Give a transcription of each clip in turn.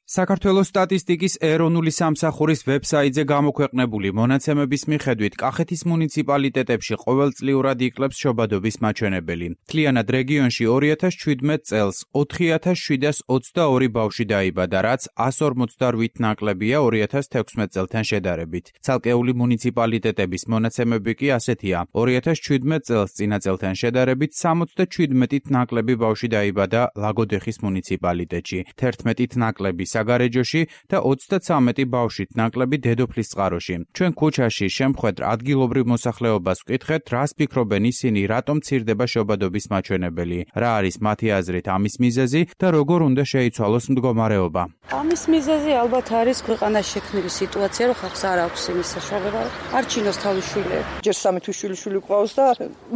საქართველოს სტატისტიკის ეროვნული სამსახურის ვებსაიტზე გამოქვეყნებული მონაცემების მიხედვით კახეთის მუნიციპალიტეტებში ყოველწლიურად იკლებს შობადობის მაჩვენებელი. მთლიანად რეგიონში 2017 წელს 4722 ბავშვი დაიბადა, რაც 158 ნაკლებია 2016 წელთან შედარებით. ცალკეული მუნიციპალიტეტების მონაცემები კი ასეთია. 2017 წელს წინა წელთან შედარებით 77 ნაკლები ბავშვი დაიბადა ლაგოდეხის მუნიციპალიტეტში, 11 ნაკლები საგარეჯოში და 33 ბავშვით ნაკლები დედოფლისწყაროში. ჩვენ ქუჩაში შემხვედრ ადგილობრივ მოსახლეობას ვკითხეთ, რას ფიქრობენ ისინი, რატომ მცირდება შობადობის მაჩვენებელი, რა არის მათი აზრით ამის მიზეზი და როგორ უნდა შეიცვალოს მდგომარეობა. ამის მიზეზი ალბათ არის ქვეყანაში შექმნილი სიტუაცია, რომ ხალხს არ აქვს იმის საშუალება, არ ჩინოს თავის შვილები. ჯერ 3 თვის შვილი ყავს და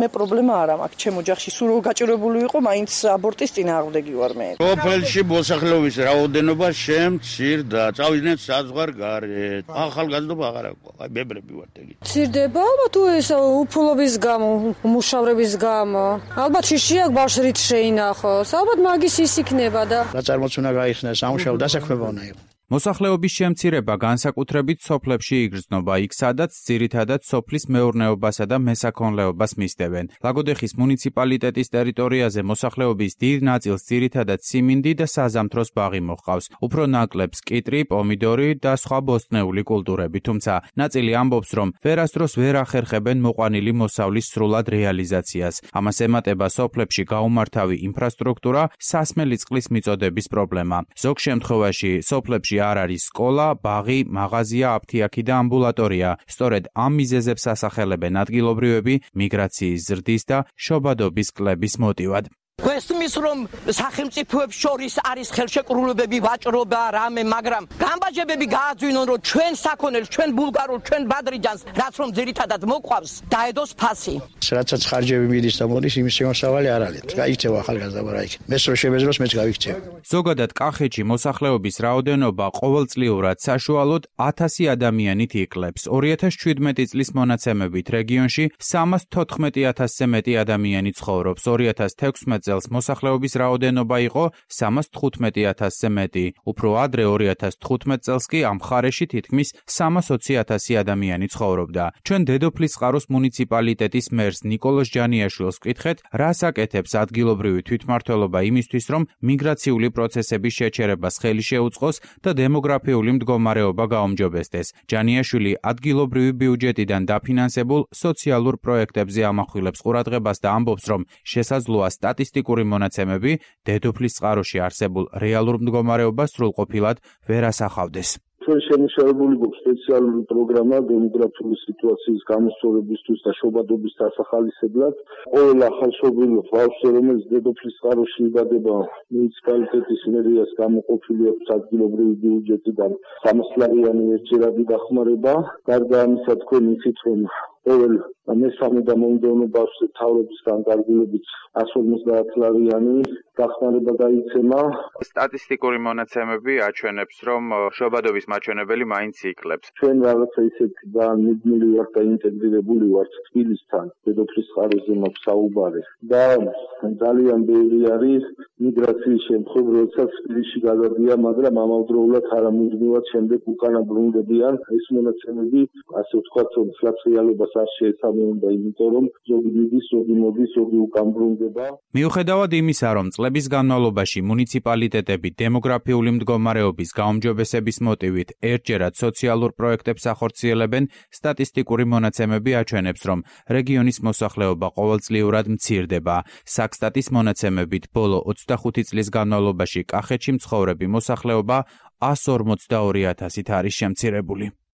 მე პრობლემა არ მაქვს ჩემო ოჯახში, სულ რომ გაჭირებული იყო, მაინც აბორტის წინააღმდეგი ვარ მე. სოფელში მოსახლეობის რაოდენობა შემცირდა, წავიდნენ საზღვარგარეთ. ახალგაზრდობა აღარ აქვს, აი ბებრები ვართ ეგ. მცირდება ალბათ ეს უფულობის გამო, მუშავრების გამო. ალბათ შიში აქვს ბავშვი რით შეინახოს. ალბათ მაგის ის იქნება და გაწარმოც უნდა გაიხსნა, სამუშაო დასაქმება უნდა იყოს. მოსახლეობის შემცირება განსაკუთრებით სოფლებში იგრძნობა, იქ სადაც ძირითადად სოფლის მეურნეობასა და მესაქონლეობას მისდევენ. ლაგოდეხის მუნიციპალიტეტის ტერიტორიაზე მოსახლეობის დიდ ნაწილს ძირითადად სიმინდი და საზამთროს ბაღი მოჰყავს. უფრო ნაკლებს კიტრი, პომიდორი და სხვა ბოსტნეული კულტურები, თუმცა ნაწილი ამბობს, რომ ვერასდროს ვერ ახერხებენ მოყვანილი მოსავლის სრულად რეალიზაციას. ამას ემატება სოფლებში გაუმართავი ინფრასტრუქტურა, სასმელი წყლის მიწოდების პრობლემა. ზოგ შემთხვევაში სოფლებში არ არის სკოლა, ბაღი, მაღაზია, აფთიაქი და ამბულატორია. სწორედ ამ მიზეზებს ასახელებენ ადგილობრივები მიგრაციის ზრდის და შობადობის კლების მოტივად. გვესმის რომ სახელმწიფოებს შორის არის ხელშეკრულებები, ვაჭრობა, რამე, მაგრამ გამბაჯებები გააძვინონ, რომ ჩვენ საქონელს, ჩვენ ბულგარულ, ჩვენ ბადრიჯანს, რაც რომ ძირითადად მოყვავს, დაედოს ფასი. რაცაც ხარჯები მიდის და მოდის, იმის შემოსავალი არ არის. გაიქცევა ახალგაზრდა რა იქ. მეც რო შემეძლოს, მეც გავიქცევ. ზოგადად კახეთში მოსახლეობის რაოდენობა ყოველწლიურად საშუალოდ 1000 ადამიანით იკლებს. 2017 წლის მონაცემებით რეგიონში 314,000-ზე მეტი ადამიანი ცხოვრობს. 2016 წელს მოსახლეობის რაოდენობა იყო 315,000-ზე მეტი. უფრო ადრე 2015 წელს კი ამ მხარეში თითქმის 320,000 ადამიანი ცხოვრობდა. ჩვენ დედოფლისწყაროს მუნიციპალიტეტის მერს ნიკოლოზ ჯანიაშვილს ვკითხეთ, რას აკეთებს ადგილობრივი თვითმმართველობა იმისთვის, რომ მიგრაციული პროცესების შეჩერებას ხელი შეუწყოს და დემოგრაფიული მდგომარეობა გაუმჯობესდეს. ჯანიაშვილი ადგილობრივი ბიუჯეტიდან დაფინანსებულ სოციალურ პროექტებზე ამახვილებს ყურადღებას და ამბობს, რომ შესაძლოა სტატისტიკური მონაცემები დედოფლისწყაროში არსებულ რეალურ მდგომარეობას სრულყოფილად ვერ ასახავდეს. ჩვენ შემუშავებული გვაქვს სპეციალური პროგრამა დემოგრაფიული სიტუაციის გამოსწორებისთვის და შობადობის დასახალისებლად. ყოველ ახალშობილ ბავშვს, რომელიც დედოფლისწყაროში იბადება, მუნიციპალიტეტის მერიას გამოყოფილი აქვს ადგილობრივი ბიუჯეტიდან 300 ლარიანი ერთჯერადი დახმარება. გარდა ამისა, თქვენ იცით, რომ ყოველ მესამე და მომდევნო ბავშვზე თავრობისგან გარგულებით 150 ლარიანი დახმარება გაიცემა. სტატისტიკური მონაცემები აჩვენებს, რომ შობადობის მაჩვენებელი მაინც იკლებს. ჩვენ რაღაცა ისეთი ძალიან მუდმივი ვართ და ინტეგრირებული ვართ თბილისთან, დედოფლისწყაროზე მაქვს საუბარი და ძალიან ბევრი არის მიგრაციის შემთხვევა, როდესაც თბილისში გადადიან, მაგრამ ამავდროულად არამუდმივად შემდეგ უკანა ბრუნდებიან. ეს მონაცემები, ასე ვთქვათ, ფლაც რეალობას არ შეესაბამება, იმიტომ რომ ზოგი მიდის, ზოგი მოდის, ზოგი უკან ბრუნდება. მიუხედავად იმისა, რომ წლების განმავლობაში მუნიციპალიტეტები დემოგრაფიული მდგომარეობის გაუმჯობესების მოტივით ერთჯერად სოციალურ პროექტებს ახორციელებენ, სტატისტიკური მონაცემები აჩვენებს, რომ რეგიონის მოსახლეობა ყოველწლიურად მცირდება. საქსტატის მონაცემებით ბოლო 25 წლის განმავლობაში კახეთში მცხოვრები მოსახლეობა 142,000-ით არის შემცირებული.